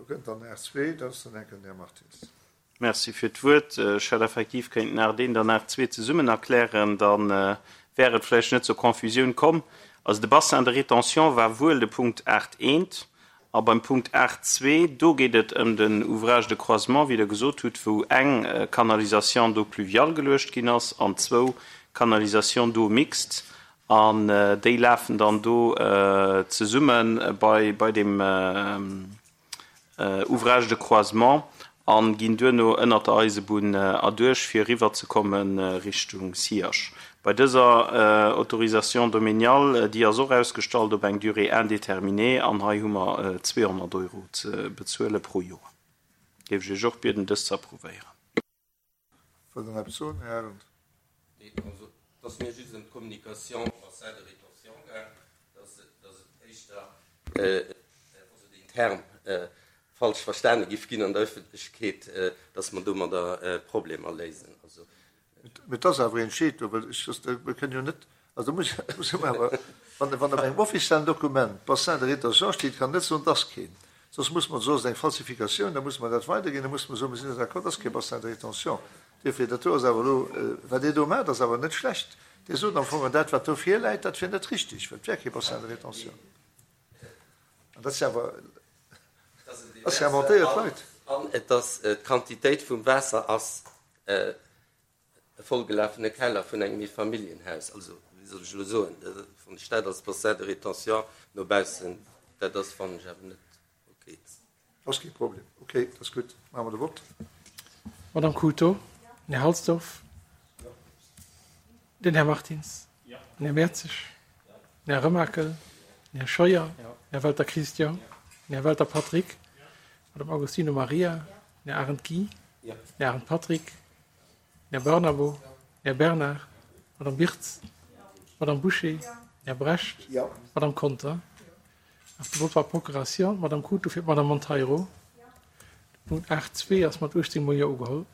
kënnt dann R2, dat ass dann enk den Här Martins. Merci fir d'Wuert. Ech hätt effektiv kéinten 8.1 an 8.2 zesummen erklären, da wär et vläicht net zur Confusioun komm. Also de Bassin de rétention war wuel de Punkt 8.1. A beim Punkt 8.2, do geet et ëm den Ouvrage de croisement, wéi Der gesot hutt, wou eng Canalisation d'eau pluviale geluecht ginn ass an zwou Canalisations d'eau mixtes. An déi lafen dann do zesumme bei bei deem Ouvrage de croisement a ginn duerno ënnert der Eisebunn erduerch, fir eriwwerzekomme Richtung Siach. Bei dëser Autorisation domaniale, déi ass och ausgestallt op eng Durée indéterminée an hei hu mer 200 Euro ze bezuele pro Joer. Géif ech Iech och bieden, dës ze approuvéieren. Wëllt Der nach eppes soen, Här Arendt? Nee, also et ass mir just ëm d'Communication bassin de rétention gaang, dass et éischter, also deen Term falsch verstane giff ginn an der Öffentlechkeet, dass mer domadder Problemer léisen. Also. Mee et ass awer een Scheed do, well ech, mir kënnen jo net, also do muss, muss mer awer, wann, wann op engem offiziellen Dokument Bassin de rétention steet, kann net soen, et ass keen. Soss muss mer, soss ass et eng Falsifikatioun, da musse mer dat weiderginn, da musse mer soen, mir sinn net d'accord, et ass kee Bassin de rétention. Duerfir, dat do ass awer elo, wat Dir do maacht, ass awer net schlecht. Dir sot am Fong, dat wat do virläit, dat wier net richtig, well et wär kee Bassin de rétention. An dat si awer, ass jo inventéiert Leit. An et ass, d'Quantitéit vum Waasser ass e vollgelafene Keller vun engem Eefamilljenhaus. Also, wéi soll ech elo soen, wann ech dat als Bassin de rétention no baussen, dat ass, fannen ech awer net ok. Ass kee Problem. Ok, dat ass gutt. Maache mer de Vott. Madame Cruto, den Här Halsdorf, den Här Martins, den Här Mertzig, den Här Remakel, den Här Scheuer, den Här Welter Christian, den Här Welter Patrick, d'Madame Agostino Maria, Den Här Arendt Guy, den Här Arendt Patrick, den Här Barnabo, den Här Bernard, d'Madame Birtz, d'Madame Bouché, den Här Brecht, d'Madame Conter. De Vote par procuration, d'Madame Cruto fir d'Madame Monteiro. De Punkt 8.2 ass mat 18 mol Jo ugeholl.